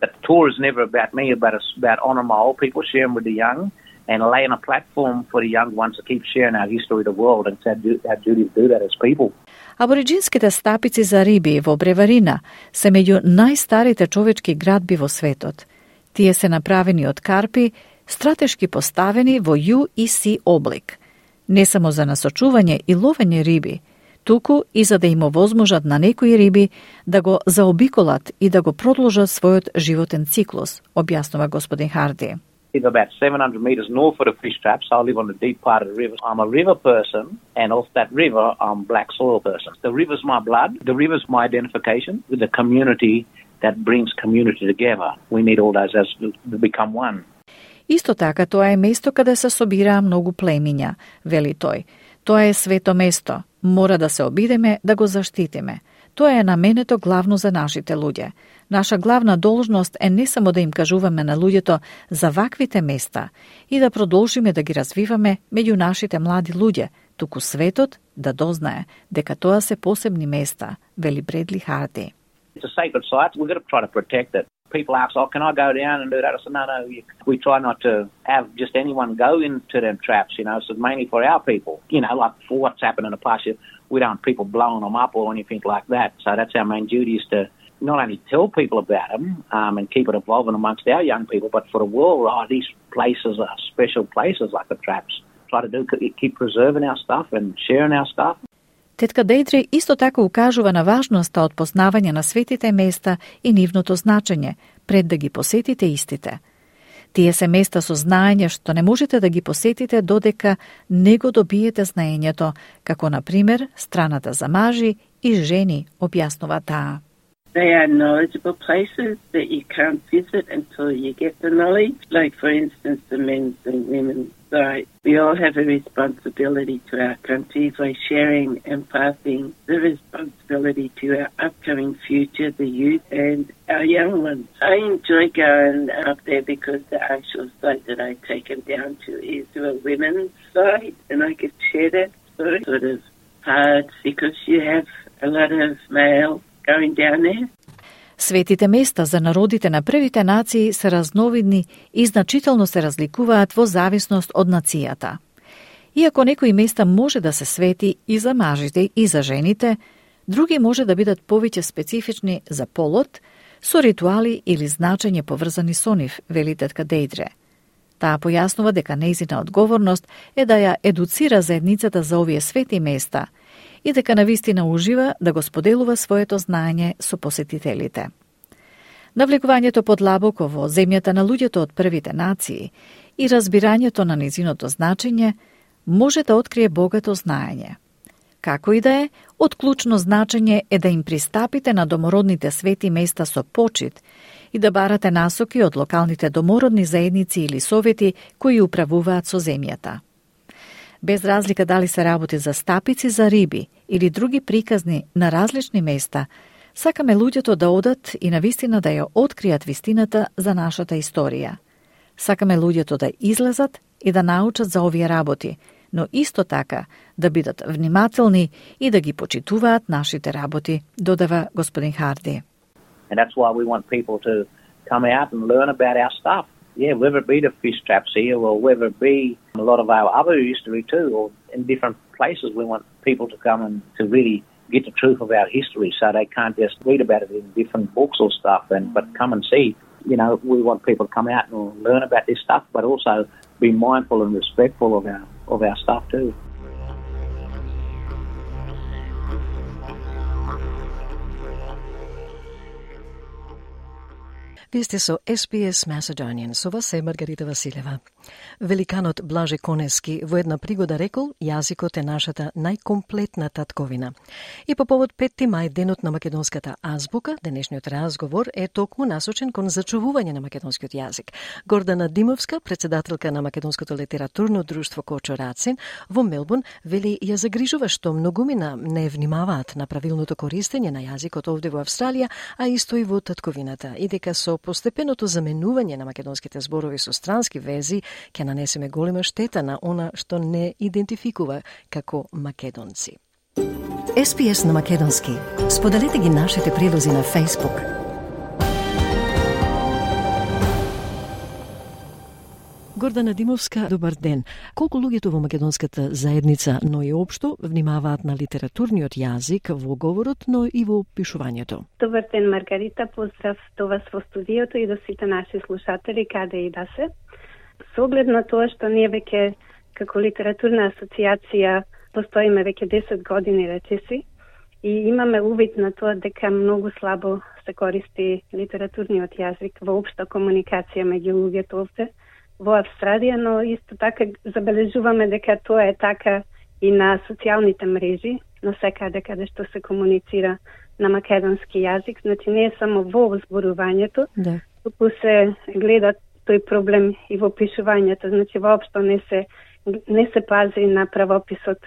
that the tour is never about me, but it's about honouring my old people, sharing with the young, and laying a platform for the young ones to keep sharing our history of the world. And it's our duty to do that as people. Абориджинските стапици за риби во Бреварина се меѓу најстарите човечки градби во светот. Тие се направени од карпи, стратешки поставени во ю и си облик. Не само за насочување и ловење риби, туку и за да им овозможат на некои риби да го заобиколат и да го продолжат својот животен циклус, објаснува господин Харди. I live about seven hundred metres north of the fish traps. I live on the deep part of the river. I'm a river person, and off that river, I'm a black soil person. The river's my blood. The river's my identification with the community that brings community together. We need all those as to become one. Исто така, тоа е место каде се собираа многу племиња, вели тој. Тоа е свето место. Мора да се обидеме да го заштитиме. Тоа е наменето главно за нашите луѓе. Наша главна должност е не само да им кажуваме на луѓето за ваквите места и да продолжиме да ги развиваме меѓу нашите млади луѓе, туку светот да дознае дека тоа се посебни места, вели Бредли Харди. It's a sacred site. We've got to try to protect it. People ask, oh, can I go down and do that? I said, no, no, we try not to have just anyone go into them traps, you know, so it's mainly for our people. You know, like for what's happened in the past, we don't want people blowing them up or anything like that. So that's our main duty, is to not only tell people about them um, and keep it evolving amongst our young people, but for the world, oh, these places are special places like the traps. Try to do, keep preserving our stuff and sharing our stuff. Тетка Дејдре исто така укажува на важноста од познавање на светите места и нивното значење, пред да ги посетите истите. Тие се места со знаење што не можете да ги посетите додека не го добиете знаењето, како на пример страната за мажи и жени, објаснува таа. They are knowledgeable places that you can't visit until you get the knowledge. Like, for instance, the men's and women's side. We all have a responsibility to our country by sharing and passing the responsibility to our upcoming future, the youth and our young ones. I enjoy going up there because the actual site that I take them down to is to a women's side, and I could share that story. Sort of hard because you have a lot of male going down there. Светите места за народите на првите нации се разновидни и значително се разликуваат во зависност од нацијата. Иако некои места може да се свети и за мажите и за жените, други може да бидат повеќе специфични за полот, со ритуали или значење поврзани со нив, вели тетка Дејдре. Таа појаснува дека нејзина одговорност е да ја едуцира заедницата за овие свети места и дека навистина ужива да го споделува своето знаење со посетителите. Навлегувањето подлабоко во земјата на луѓето од првите нации и разбирањето на низиното значење може да открие богато знаење. Како и да е, од клучно значење е да им пристапите на домородните свети места со почит и да барате насоки од локалните домородни заедници или совети кои управуваат со земјата. Без разлика дали се работи за стапици за риби или други приказни на различни места, сакаме луѓето да одат и навистина да ја откријат вистината за нашата историја. Сакаме луѓето да излезат и да научат за овие работи, но исто така да бидат внимателни и да ги почитуваат нашите работи, додава господин Харди. And that's why we want people to come out and learn about our stuff. Yeah, whether it be the fish traps here or whether it be a lot of our other history too, or in different places, we want people to come and to really get the truth of our history so they can't just read about it in different books or stuff, and but come and see. You know, we want people to come out and learn about this stuff, but also be mindful and respectful of our of our stuff too. Вие сте со Ес Би Ес Macedonian, со вас е Маргарита Василева. Великанот Блаже Конески во една пригода рекол, јазикот е нашата најкомплетна татковина. И по повод петти мај, денот на македонската азбука, денешниот разговор е токму насочен кон зачувување на македонскиот јазик. Гордана Димовска, председателка на Македонското литературно друштво Кочо Рацин, во Мелбурн, вели ја загрижува што многумина не внимаваат на правилното користење на јазикот овде во Австралија, а исто и во татковината, и дека со постепеното заменување на македонските зборови со странски вези ќе нанесеме голема штета на она што не идентификува како македонци. Ес Би Ес на македонски. Споделете ги нашите прилози на Facebook. Гордана Димовска, добар ден. Колку луѓето во македонската заедница, но и општо, внимаваат на литературниот јазик во говорот, но и во пишувањето? Добар ден, Маргарита. Поздрав до вас во студиото и до сите наши слушатели, каде и да се. Со оглед на тоа што ние веќе како литературна асоциација постоиме веќе десет години, речиси, и имаме увид на тоа дека многу слабо се користи литературниот јазик во општа комуникација меѓу луѓето овде во Австралија, но исто така забележуваме дека тоа е така и на социјалните мрежи, на секаде каде што се комуницира на македонски јазик. Значи не е само во зборувањето, да. Туку се гледа тој проблем и во пишувањето. Значи воопшто не се не се пази на правописот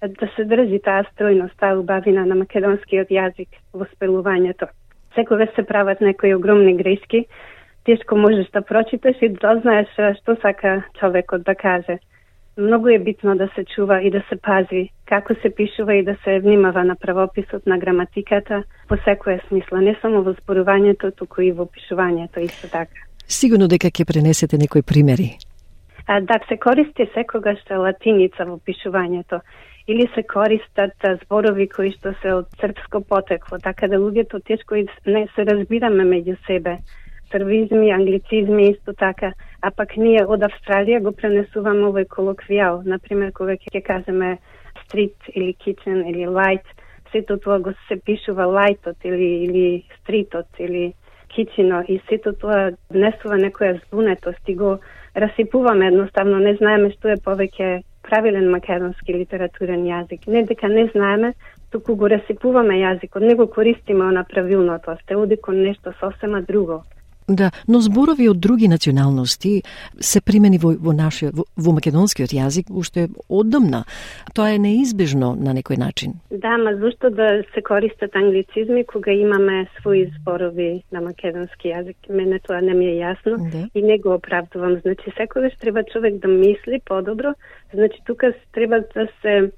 да се држи таа стројност, таа убавина на македонскиот јазик во спелувањето. Секогаш се прават некои огромни грешки. Тешко можеш да прочиташ и да знаеш што сака човекот да каже. Многу е битно да се чува и да се пази како се пишува и да се внимава на правописот, на граматиката, по секоја смисла, не само во зборувањето, туку и во пишувањето исто така. Сигурно дека ќе пренесете некои примери. А, да, се користи секогаш латиница во пишувањето или се користат зборови кои што се од српско потекло, така да луѓето тешко и не се разбираме меѓу себе. Срвизми, англицизми исто така, а пак ние од Австралија го пренесуваме овој колоквијал. Например, кога ќе кажеме стрит или кичен или лајт, сето тоа го се пишува лајтот или, или стритот или кичино и сето тоа внесува некоја збунетост и го расипуваме едноставно, не знаеме што е повеќе правилен македонски литературен јазик. Не дека не знаеме, туку го расипуваме јазикот, не го користиме на правилното, а сте оди кон нешто сосема друго. Да, но зборови од други националности се примени во, во нашиот, во, во македонскиот јазик уште оддамна. Тоа е неизбежно на некој начин. Да, ма зашто да се користат англицизми кога имаме своји зборови на македонски јазик? Мене тоа не ми е јасно да. И не го оправдувам. Значи, секогаш треба човек да мисли подобро. Значи, тука треба да се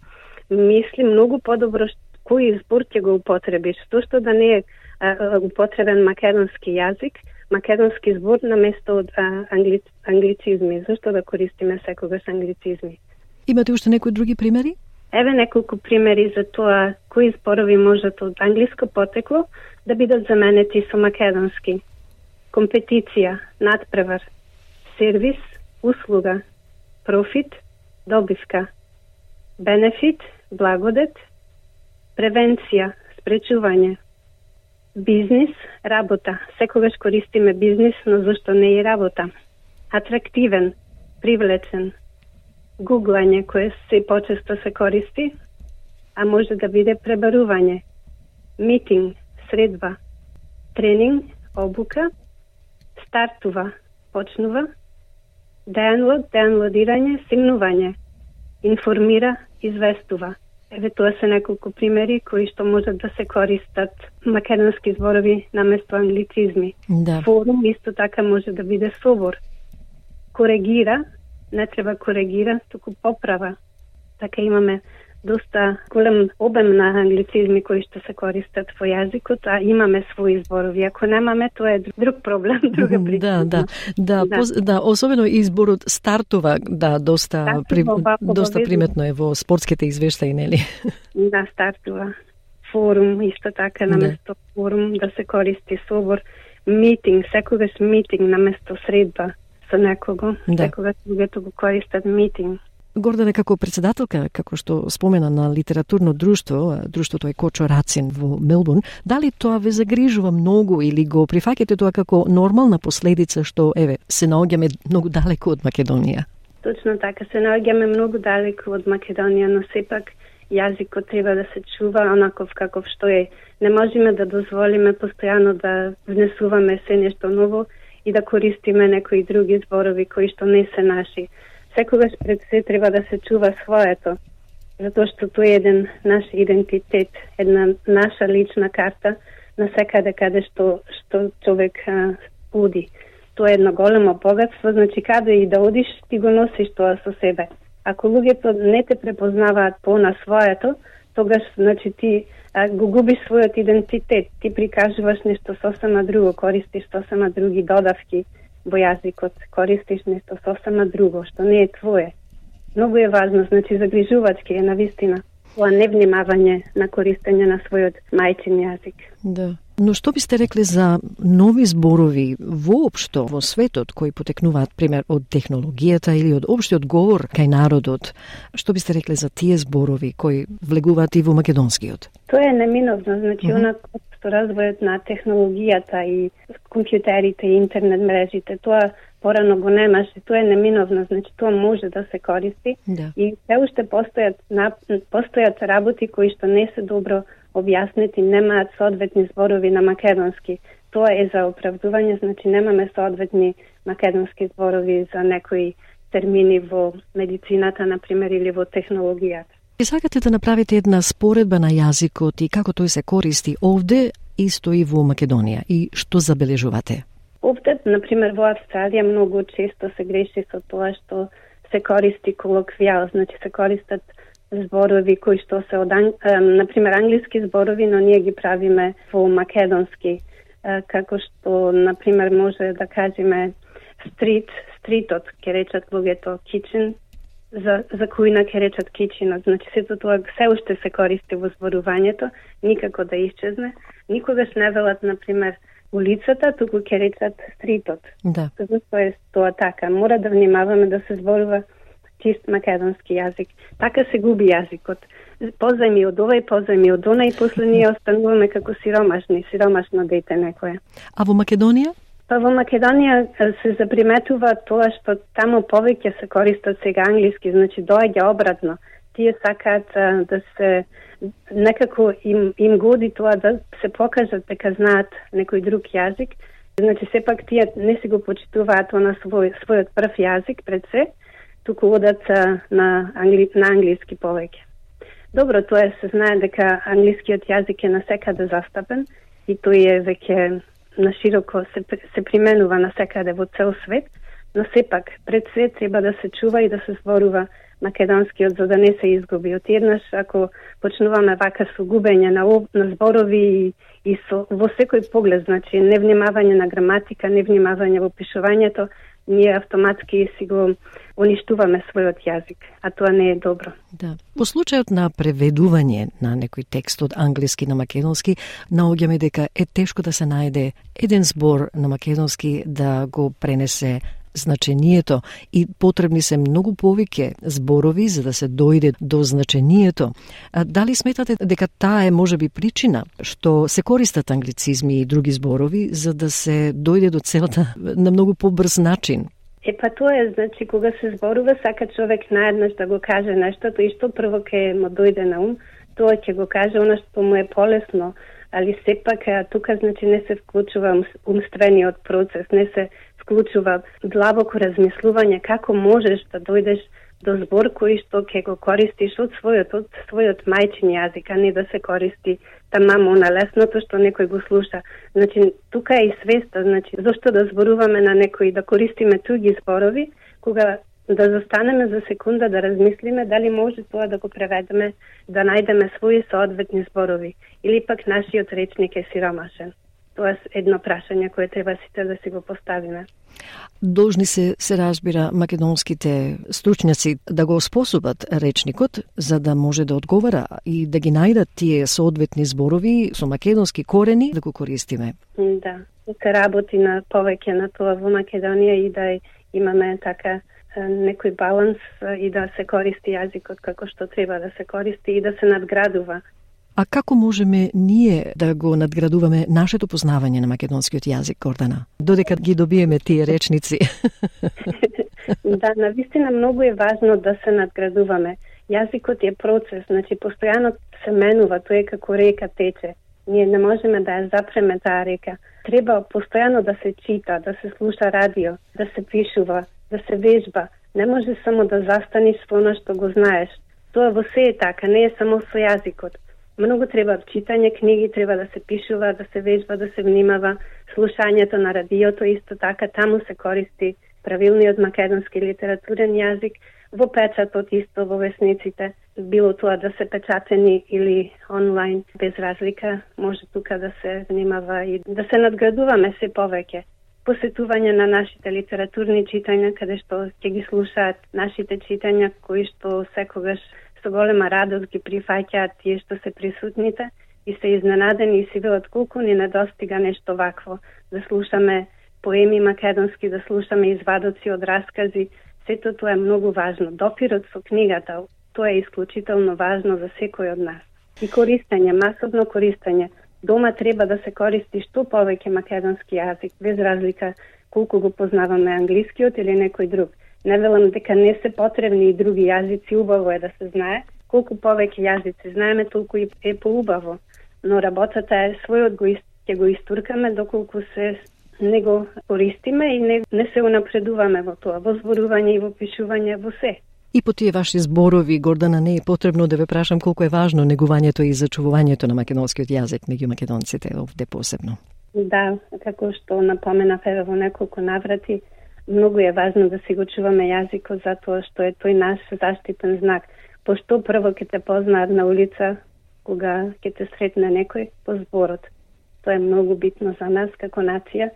мисли многу подобро кој збор ќе го употребиш. Зашто да не е а, употребен македонски јазик, македонски збор на место од англи... англицизми. Зашто да користиме секогаш англицизми? Имате уште некои други примери? Еве неколку примери за тоа кои зборови можат од англиско потекло да бидат заменети со македонски. Компетиција, надпревар, сервис, услуга, профит, добивка, бенефит, благодет, превенција, спречување, бизнис, работа. Секогаш користиме бизнис, но зашто не и работа. Атрактивен, привлечен. Гуглање, кое се почесто се користи, а може да биде пребарување. Митинг, средба. Тренинг, обука. Стартува, почнува. Доwnload, доwnloадирање, симнување. Информира, известува. Еве тоа се неколку примери кои што можат да се користат македонски зборови наместо англицизми. Да. Форум исто така може да биде собор. Коригира, не треба коригира, туку поправа. Така имаме доста голем обем на англицизми кои што се користат во јазикот, а имаме своји зборови. Ако немаме, тоа е друг проблем, друга причина. Да, да, да, да. Поз, да, особено изборот стартува, да, доста стартува, при, ба, доста приметно е во спортските извештаи, нели? Да, стартува. Форум, исто така, наместо да. Форум, да се користи собор. Митинг, секогаш митинг наместо средба со некого. Да. Секогаш луѓето го користат митинг. Гордане, како председателка, како што спомена на литературно друштво, друштвото е Кочо Рацин во Мелбурн, дали тоа ве загрижува многу или го прифаќате тоа како нормална последица што, еве, се наоѓаме многу далеку од Македонија? Точно така, се наоѓаме многу далеку од Македонија, но сепак јазикот треба да се чува онаков каков што е. Не можеме да дозволиме постојано да внесуваме се нешто ново и да користиме некои други зборови кои што не се наши. Секогаш пред се треба да се чува своето, затоа што тоа е еден наш идентитет, една наша лична карта на секаде каде што, што човек а, оди. Тоа е едно големо богатство, значи каде и да одиш, ти го носиш тоа со себе. Ако луѓето не те препознаваат по на своето, тогаш значи ти а, го губиш својот идентитет, ти прикажуваш нешто сосема друго, користиш сосема други додавки во јазикот, користиш нешто сосема друго, што не е твое. Многу е важно, значи загрижувачки е навистина тоа невнимавање на користење на својот мајчин јазик. Да. Но што бисте рекле за нови зборови воопшто во светот кои потекнуваат, пример, од технологијата или од општиот говор кај народот? Што бисте рекле за тие зборови кои влегуваат и во македонскиот? Тоа е неминовно, значи, uh-huh. онако што развојот на технологијата и компјутерите и интернет мрежите, тоа порано го немаше, тоа е неминовно, значи тоа може да се користи да. И се уште постојат, постојат работи кои што не се добро објаснети, немаат соодветни зборови на македонски. Тоа е за оправдување, значи немаме соодветни македонски зборови за некои термини во медицината, например, или во технологијата. И сакате да направите една споредба на јазикот и како тој се користи овде, исто и во Македонија, и што забележувате? Овде, например, во Австралија многу често се греши со тоа што се користи колоквијал, значи се користат зборови кои што се од, например, англиски зборови, но ние ги правиме во македонски, како што, например, може да кажеме стрит, стритот, ке речат луѓето кичен, за, за кујна ке речат кичинот. Значи, сето тоа се уште се користи во зборувањето, никако да исчезне. Никогаш не велат, например, улицата, туку ке речат стритот. Да. Зашто е тоа така? Мора да внимаваме да се зборува чист македонски јазик. Така се губи јазикот. Позајми од ова и позајми од она и после ние остануваме како сиромашни, сиромашно дете некое. А во Македонија? Па во Македонија се заприметува тоа што таму повеќе се користат сега англиски, значи доаѓа обратно. тие сакаат да се некако им, им годи тоа да се покажат дека знаат некој друг јазик. Значи, сепак тие не си го почитуваат на свој, својот прв јазик пред се, туку одат на, англи, на англиски повеќе. Добро, тоа се знае дека англискиот јазик е насекаде застапен и тој е веќе нашироко се, се применува насекаде во цел свет, но сепак пред се треба да се чува и да се зборува македонскиот за да не се изгуби. Од еднаш, ако почнуваме вака со губење на, на зборови и, и со, во секој поглед, значи невнимавање на граматика, невнимавање во пишувањето, ние автоматски си го уништуваме својот јазик, а тоа не е добро. Да. По случајот на преведување на некој текст од англиски на македонски, наоѓаме дека е тешко да се најде еден збор на македонски да го пренесе значението и потребни се многу повеќе зборови за да се дојде до значението. А дали сметате дека таа е можеби причина што се користат англицизми и други зборови за да се дојде до целта на многу побрз начин? Е, па тоа е, значи, кога се зборува, сака човек наеднаш да го каже нешто, и што прво ке му дојде на ум, тоа ќе го каже она што му е полесно, али сепак тука, значи, не се вклучува умствениот процес, не се вклучува длабоко размислување како можеш да дојдеш до збор кој што ќе го користиш од својот, од својот мајчин јазик, а не да се користи тамамо на лесното што некој го слуша. Значи, тука е и свеста, значи, зашто да зборуваме на некој, да користиме туги зборови, кога да застанеме за секунда да размислиме дали може тоа да го преведеме, да најдеме своји соодветни зборови, или пак нашиот речник е сиромашен. Тоа е едно прашање кое треба сите да си го поставиме. Должни се, се разбира, македонските стручњаци да го способат речникот за да може да одговара и да ги најдат тие соодветни зборови со македонски корени да го користиме. Да, се работи на повеќе на тоа во Македонија и да имаме така некој баланс и да се користи јазикот како што треба да се користи и да се надградува. А како можеме ние да го надградуваме нашето познавање на македонскиот јазик, Гордана? Додека ги добиеме тие речници. Да, навистина многу е важно да се надградуваме. Јазикот е процес, значи постојано се менува, тоа е како река тече. Ние не можеме да ја запреме таа река. Треба постојано да се чита, да се слуша радио, да се пишува, да се вежба. Не може само да застаниш во она што го знаеш. Тоа во се е така, не е само со јазикот. Многу треба читање книги, треба да се пишува, да се вежба, да се внимава, слушањето на радиото исто така, таму се користи правилниот македонски литературен јазик, во печатот исто во весниците, било тоа да се печатени или онлайн, без разлика, може тука да се внимава и да се надградуваме се повеќе. Посетување на нашите литературни читања, каде што ќе ги слушаат нашите читања, кои што секогаш со голема радост ги прифаќаат тие што се присутните и се изненадени и си велат колку ни недостига нешто вакво, да слушаме поеми македонски, да слушаме извадоци од раскази, сето тоа е многу важно. Допирот со книгата, тоа е исклучително важно за секој од нас. И користење, масовно користење. Дома треба да се користи што повеќе македонски јазик, без разлика колку го познаваме англискиот или некој друг. Не велам дека не се потребни и други јазици, убаво е да се знае. Колку повеќе јазици знаеме, толку и е поубаво. Но работата е својот го ќе го истуркаме доколку се не го користиме и не, не се унапредуваме во тоа, во зборување и во пишување, во се. И по тие ваши зборови, Гордана, не е потребно да ве прашам колку е важно негувањето и зачувувањето на македонскиот јазик меѓу македонците овде посебно. Да, како што напоменав еве во неколку наврати, многу е важно да си го чуваме јазикот затоа што е тој наш заштитен знак. Пошто прво ќе те познаат на улица, кога ќе те сретне некој по зборот. Тоа е многу битно за нас како нација,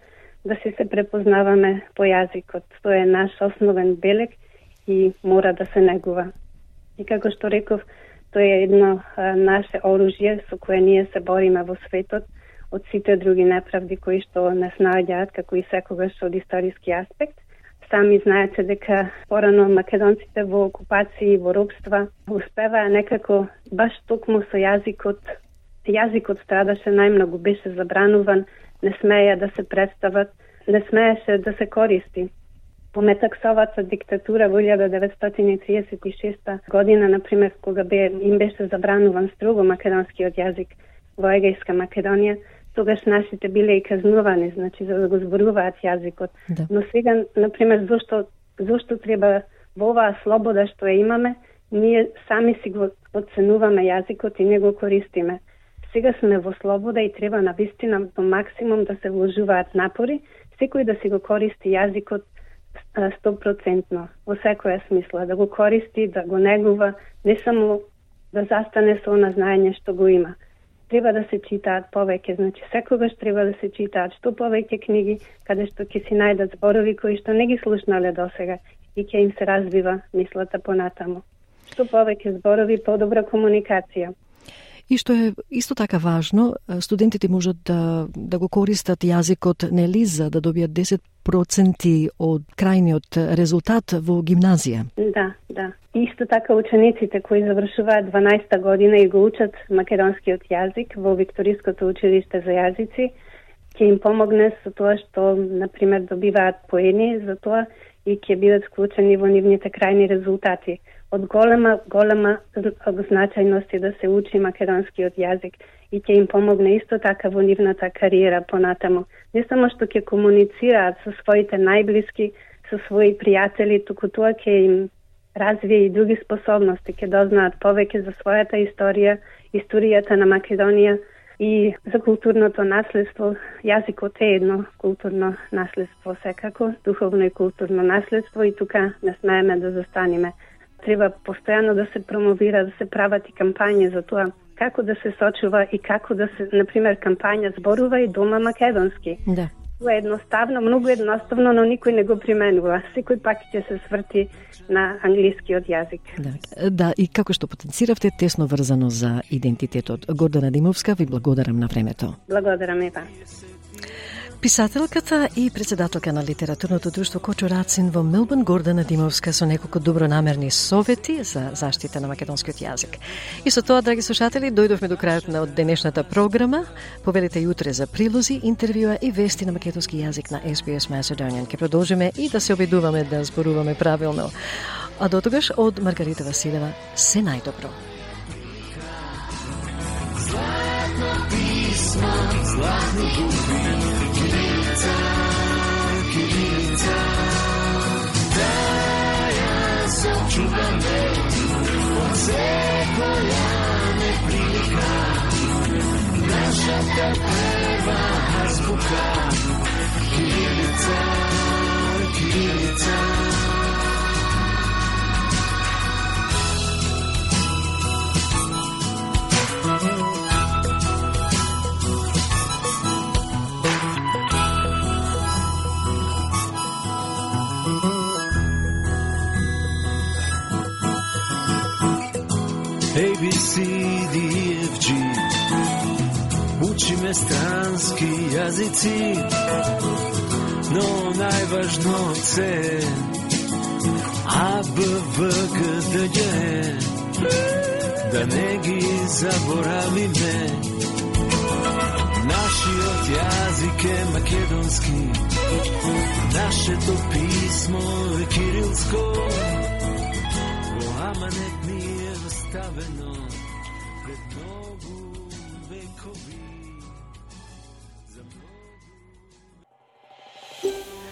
да си се препознаваме по јазикот. Тоа е наш основен белег и мора да се негува. И како што реков, тоа е едно а, наше оружје со кое ние се бориме во светот од сите други неправди кои што не наоѓаат, како и секогаш од историски аспект. Сами знаете дека порано македонците во окупација и во робства успеваа некако баш токму со јазикот. Јазикот страдаше најмногу, беше забрануван, не смеја да се представат, не смееше да се користи. По Метаксовата диктатура во илјада деветстотини и триесет и шеста година, например, кога бе, им беше забрануван строго македонскиот јазик во Егејска Македонија, тогаш нашите биле и казнувани, значи за да го зборуваат јазикот. Да. Но сега, например, зошто зошто треба во оваа слобода што ја имаме, ние сами си го оценуваме јазикот и не го користиме. Сега сме во слобода и треба на вистина до максимум да се вложуваат напори, секој да си го користи јазикот сто проценти во секоја смисла, да го користи, да го негува, не само да застане со она знаење што го има. Треба да се читаат повеќе, значи секогаш треба да се читаат што повеќе книги, каде што ќе си најдат зборови кои што не ги слушнале досега и ќе им се развива мислата понатаму. Што повеќе зборови, подобра комуникација. И што е исто така важно, студентите можат да, да го користат јазикот нели за да добијат десет проценти од крајниот резултат во гимназија. Да, да. Исто така учениците кои завршуваат дванаесета година и го учат македонскиот јазик во Викториското училиште за јазици, ќе им помогне со тоа што, например, добиваат поени за тоа и ќе бидат вклучени во нивните крајни резултати. Од голема, голема значајност е да се учи македонскиот јазик и ќе им помогне исто така во нивната кариера понатаму. Не само што ќе комуницираат со своите најблиски, со своји пријатели, туку тоа ќе им развие и други способности, ќе дознаат повеќе за својата историја, историјата на Македонија и за културното наследство. Јазикот е едно културно наследство секако, духовно и културно наследство и тука не смееме да застанеме. Треба постојано да се промовира, да се прават и кампањи за тоа како да се сочува и како да се, например, кампања зборува и дома македонски. Да. Тоа е едноставно, многу едноставно, но никој не го применува. Секој пак ќе се сврти на англискиот јазик. Да, да, и како што потенциравте, тесно врзано за идентитетот. Гордана Димовска, ви благодарам на времето. Благодарам и вас. Писателката и председателка на литературното друштво Кочо Рацин во Мелбурн, Гордана Димовска, со неколку добронамерни совети за заштита на македонскиот јазик. И со тоа, драги слушатели, дојдовме до крајот на денешната програма. Повелите јутре за прилози, интервјуа и вести на македонски јазик на Ес Би Ес Macedonian. Ке продолжиме и да се обидуваме да зборуваме правилно. А дотогаш од Маргарита Василева, се најдобро. Златно писмо, златни губи, Кирилица, Кирилица, да ја се чуваме, од секоја неприлика, нашата прва азбука, Кирилица, Кирилица. A, B, C, D, E, F, G Учиме странски јазици, но најважно е А, Б, В, Г, Д, Г Да не ги заборавиме. Нашиот јазик е македонски, нашето писмо е кирилско, во аманет ни е оставено пред многу векови.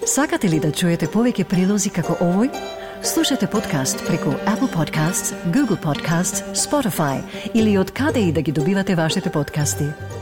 Сакате ли да чуете повеќе прилози како овој? Слушате подкаст преку Apple Podcasts, Google Podcasts, Spotify или од каде и да ги добивате вашите подкасти.